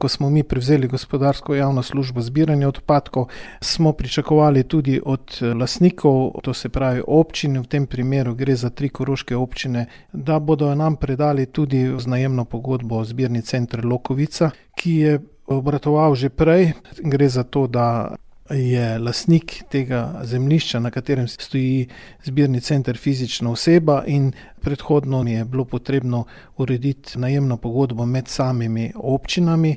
ko smo mi prevzeli gospodarsko javno službo zbiranja odpadkov, smo pričakovali tudi od lastnikov, to se pravi občin, v tem primeru gre za 3 koroške občine, da bodo nam predali tudi vzajemno pogodbo zbirni center Lokovica, ki je obratoval že prej. Gre za to, da je lastnik tega zemljišča, na katerem stoji zbirni center, fizična oseba in predhodno je bilo potrebno urediti najemno pogodbo med samimi občinami.